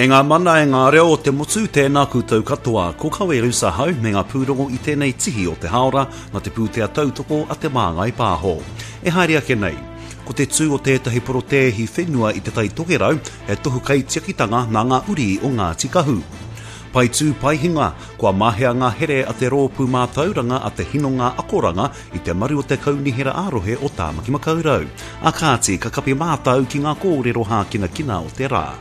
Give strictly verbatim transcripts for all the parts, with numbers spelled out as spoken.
E ngā mana e ngā reo o te motu, tēnā koutou katoa. Ko Kawe Ahau me ngā pūrongo i tēnei tihi o te haora nā te pūtea tautoko a Te Māngai Pāho. E haere ake nei, ko te tū o tētahi porotēhi whenua i Te Tai Tokerau he tohu kaitiakitanga nā ngā uri o Ngāti Kahu. Pai tū pai hinga, kua mahea ngā here a te rōpū mātauranga a te hinonga akoranga i te maru o te kaunihera ā-rohe o Tāmaki Makaurau. A kāti, ka kapi mātau ki ngā kōrero hākinakina o te rā.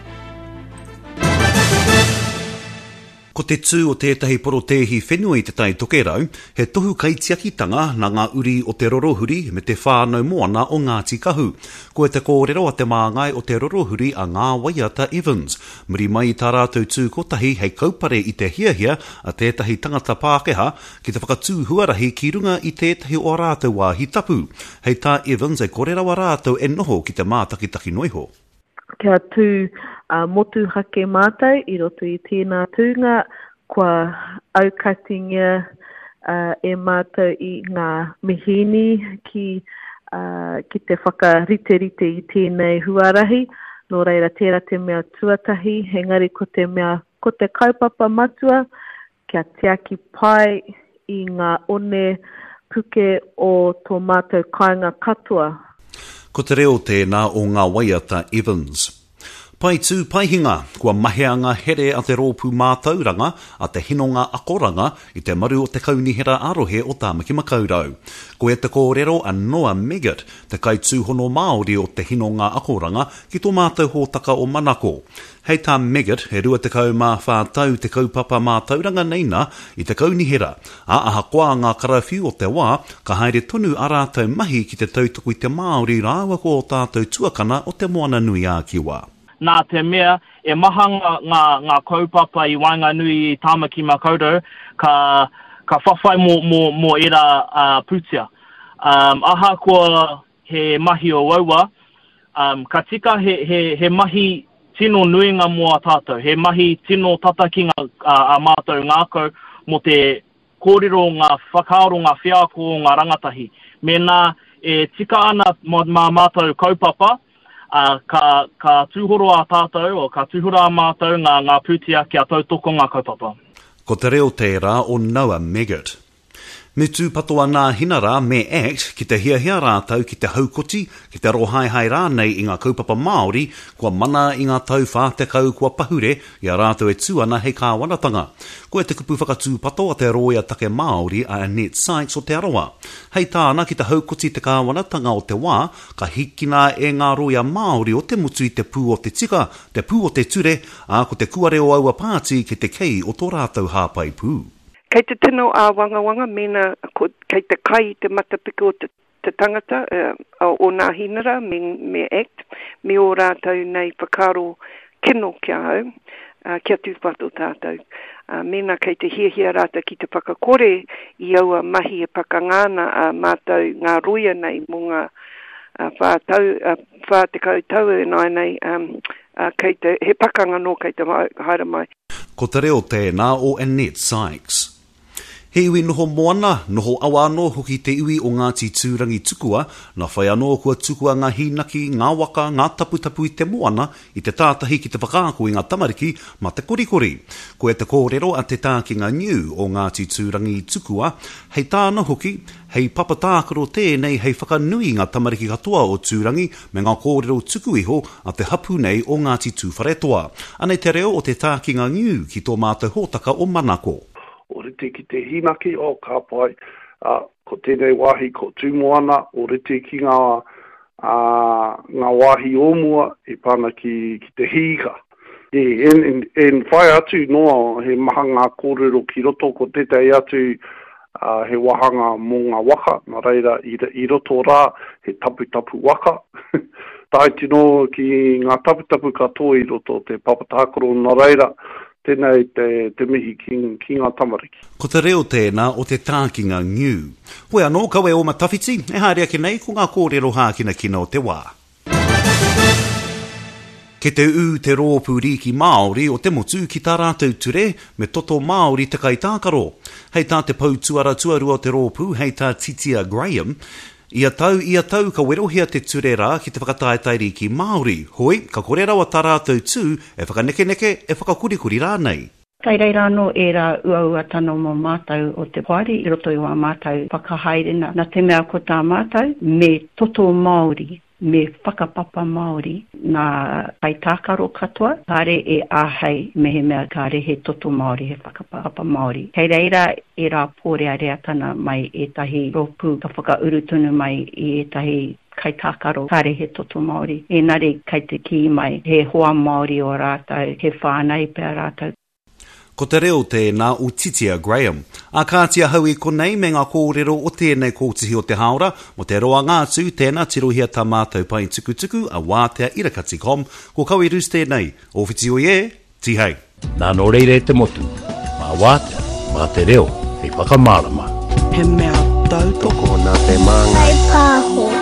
Ko te tū o tētahi porotēhi whenua i Te Tai Tokerau, he tohu kaitiakitanga nā ngā uri o Te Rorohuri me te whānau moana o Ngāti Kahu. Ko te kōrero a te māngai o Te Rorohuri a Ngā Waiata Evans. Muri mai i tā rātou tū kotahi hei kaupare i te hiahia a tētahi tangata Pākehā ki te whakatū huarahi ki runga i tētahi o ā rātou wāhi tapu. Hei tā Evans e kore rawa rātou e noho ki te mātakitaki noa iho. Kia tū uh, motuhake mātou i roto i tēnā tūnga, kua aukatingia uh, e mātou i ngā mihīni ki, uh, ki te whakariterite i tēnei huarahi. Nō reira, tērā te mea tuatahi, engari ko te mea, ko te kaupapa matua, kia tiaki pai i ngā one puke o tō mātou kāinga katoa. Ko te reo tēnā o Ngā Waiata Evans. Pai tū pai hinga, kua mahea ngā here a te rōpū mātauranga, a te hinonga akoranga i te maru o te kaunihera ā-rohe o Tāmaki Makaurau. Ko e te kōrero a Noah Meggett, te kaitūhono Māori o te hinonga akoranga ki tō mātou hōtaka o Manako. Hei tā Meggett, he rua tekau mā whā tau te kaupapa mātauranga nei nā i te kaunihera, ā ahakoa ngā karawhiu o te wā, ka haere tonu ā rātou mahi ki te tautoko i te Māori rāua ko ō tātou tuakana o Te Moana-nui-ā-Kiwa. Nā te mea, e maha ngā, ngā, ngā kaupapa i waenganui i Tāmaki Makaurau ka, ka whawhai mō, mō, mō ērā uh, pūtea. Um, ahakoa he mahi uaua, um, ka tika he, he, he mahi tino nuinga mō a tātou, he mahi tino tata ki ngā, a, a mātou ngākau mō te kōrero ngā whakaaro, ngā wheako o ngā rangatahi. Mēnā e tika ana mā, mā mātou kaupapa, uh, ka, ka tūhoro a tātou, o ka tūhoro a mātou ngā, ngā pūtea kia tautoko ngā kaupapa. Ko te reo tērā o Noah Meggett. Me tūpato a Nāhinara me ACT ki te hiahia rātou ki te haukoti, ki te arohaehae rānei i ngā kaupapa Māori kua mana i ngā tau whā tekau kua pahure i a rātou e tū ana hei kāwanatanga. Ko e te kupu whakatūpato a te rōia take Māori a Annette Sykes o Te Arawa. Hei tāna ki te haukoti te kāwanatanga o te wā, ka hikina e ngā rōia Māori o te motu i te pū o te tika, te pū o te ture, ā ko te kuare o aua pāti ki te kei o tō rātou hāpai pū. Kei te tino āwangawanga mēnā ko, kei te kai i te matapiko o te, te tangata, uh, o Nāhinara me, me ACT, me ō rātou nei whakaaro kino ki ahau, uh, kia tūpato tātou. Uh, mēnā kei te hiahia rātou ki te whakakore i aua mahi e pakanga ana a mātou ngā roia nei mō ngā uh, whā tau, uh, whā tekau tau e nai nei, um, uh, kei te, he pakanga nō kei te haere mai. Ko te reo tēnā o Annette Sykes. He iwi noho moana, noho awa anō hoki te iwi o Ngāti Tūrangitukua, nā whai anō kua tukua ngā hīnaki, ngā waka, ngā taputapu i te moana, i te tātahi ki te whakaako i ngā tamariki mā te korikori. Ko e te kōrero a Te Tākinga Niu o Ngāti Tūrangitukua, hei tāna hoki, hei papa tākaro tēnei hei whakanui i ngā tamariki katoa o Tūrangi me ngā kōrero tuku iho a te hapū nei o Ngāti Tūwharetoa. Anei te reo o Te Tākinga Niu ki tō mātou hōtaka o Manako. O rite ki te hīnaki, o ka pai, uh, ko tēnei wāhi ko Tūmoana, o rite ki ngā, uh, ngā wāhi o mua e pāna ki, ki te hīka. E, en, en, en whai atu noa he maha ngā kōrero ki roto, ko tētahi atu uh, he wāhanga mō ngā waka, nā reira i, i roto rā he taputapu waka. Tae tino ki ngā taputapu katoa i roto te papatākaro, nā reira, tēnei te, te mihi ki, ki ngā tamariki. Ko te reo tēnā o Te Tākinga Niu. Hoi anō, kawe o Matawhiti, e haere ake nei ko ngā kōrero hākinakina o te wā. Ke te ū te rōpū rīki Māori o te motu ki tā rātou ture me toto Māori te kaitākaro. Hei tā te pou tuara tuarua o te rōpū, hei tā Titia Graham, Ia tau, ia tau ka werohia te ture rā ki te whakataetae rīki Māori, hoi, ka kore rawa tā rātou tū e whakanekeneke, e whakakurikuri rānei. Kei reira anō ērā uauatana mō mātou o te poari i roto i wā mātou whakahaerena, nā te mea ko tā mātou me toto Māori, me whakapapa Māori ngā kaitākaro katoa, kāre e āhei mehemea kāre he toto Māori, he whakapapa Māori. Kei reira ērā pōreareatana mai ētahi rōpū ka whakauru tonu mai i ētahi kaitākaro kāre he toto Māori, engari kei te kī mai he hoa Māori o rātou, he whānau pea rātou. Ko te reo tēnā o Titia Graham. A kāti ahau i konei me ngā kōrero o tēnei kōtihi o te hāora, mō te roanga atu, tēnā tirohia tā mātou pae tukutuku a wātea irakati com, ko Kawi Roos tēnei, o whiti oi e, tihei. Nā nō reira e te motu, mā wātea, mā te reo, hei whakamārama. He mea tautoko nā te māngai. Whaipāho.